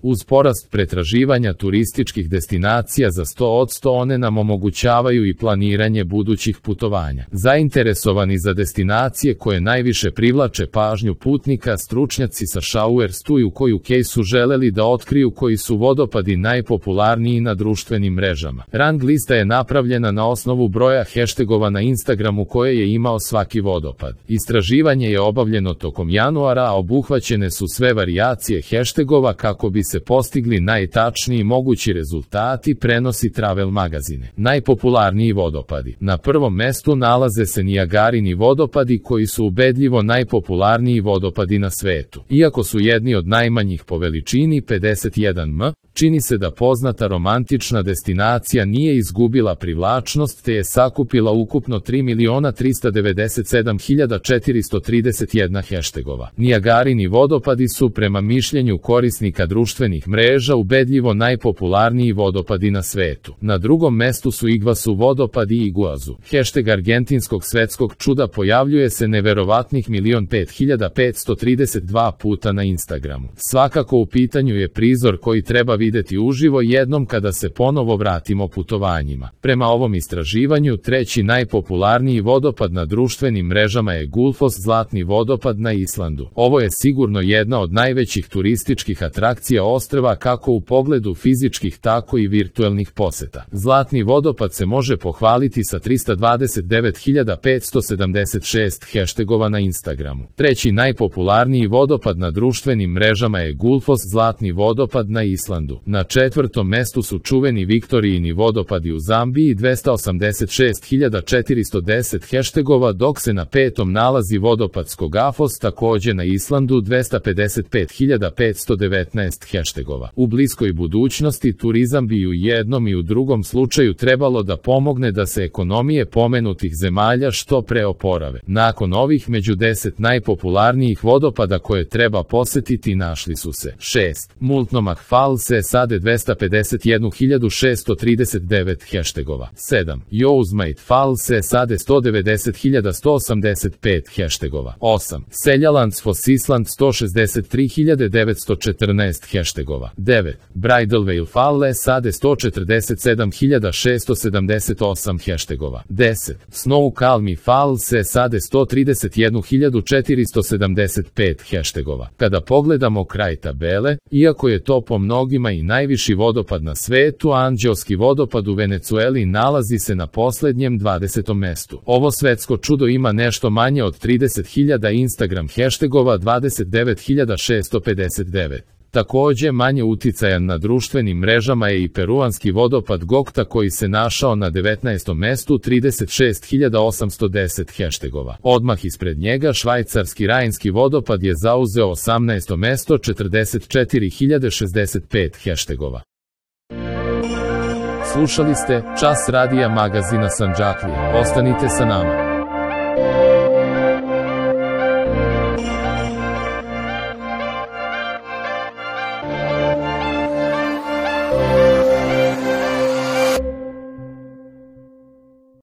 Uz porast pretraživanja turističkih destinacija za 100%, one nam omogućavaju i planiranje budućih putovanja. Zainteresovani za destinacije koje najviše privlače pažnju putnika, stručnjaci sa Showerstu i u koju su želeli da otkriju koji su vodopadi najpopularniji na društvenim mrežama. Rang lista je napravljena na osnovu broja hashtagova na Instagramu koje je imao svaki vodopad. Istraživanje je obavljeno tokom januara, a obuhvaćene su sve varijacije hashtagova kako bi se postigli najtačniji mogući rezultati, prenosi Travel Magazine. Najpopularniji vodopadi. Na prvom mestu nalaze se Nijagarini vodopadi koji su ubedljivo najpopularniji vodopadi na svetu. Iako su jedni od najmanjih po veličini 51 m, čini se da poznata romantična destinacija nije izgubila privlačnost te je sakupila ukupno 3.397.431 hashtagova. Nijagarini vodopadi su prema mišljenju korisnika društvenih mreža ubedljivo najpopularniji vodopadi na svetu. Na drugom mestu su Iguazu vodopadi i Iguazu. Hashtag argentinskog svetskog čuda pojavljuje se neverovatnih 1.005.532 puta na Instagramu. Svakako u pitanju je prizor koji treba videti uživo jednom kada se ponovo vratimo putovanjima. Prema ovom istraživanju, treći najpopularniji vodopad na društvenim mrežama je Gullfoss, zlatni vodopad na Islandu. Ovo je sigurno jedna od najvećih turističkih atrakcija ostrva kako u pogledu fizičkih tako i virtuelnih poseta. Zlatni vodopad se može pohvaliti sa 329.576 hashtagova na Instagramu. Treći najpopularniji vodopad na društvenim mrežama je Gullfoss, zlatni vodopad na Islandu. Na četvrtom mestu su čuveni Viktorijini vodopadi u Zambiji 286.410 hashtagova, dok se na petom nalazi vodopad Skogafos takođe na Islandu 255.519 hashtagova. U bliskoj budućnosti turizam bi u jednom i u drugom slučaju trebalo da pomogne da se ekonomije pomenutih zemalja što pre oporave. Nakon ovih među 10 najpopularnijih vodopada koje treba posetiti našli su se 6. Multnomah Falls, SAD 251.639 hashtagova. 7. Yosemite Falls, SAD 190.185 hashtagova. 8. Seljalands Foss, Island 163.914 hashtagova. 9. Bridalveil Falls, SAD 147.678 hashtagova. 10. Snoqualmie Falls, SAD 131.475 hashtagova. Kada pogledamo kraj tabele, iako je to po mnogima i najviši vodopad na svetu, Anđelski vodopad u Venecueli nalazi se na poslednjem 20. mestu. Ovo svetsko čudo ima nešto manje od 30.000 Instagram hashtagova, 29.659. Takođe, manje uticajan na društvenim mrežama je i peruanski vodopad Gokta koji se našao na 19. mestu, 36.810 hashtagova. Odmah ispred njega švajcarski Rajnski vodopad je zauzeo 18. mesto, 44.065 hashtagova. Slušali ste Čas radija magazina Sandžaklija. Ostanite sa nama.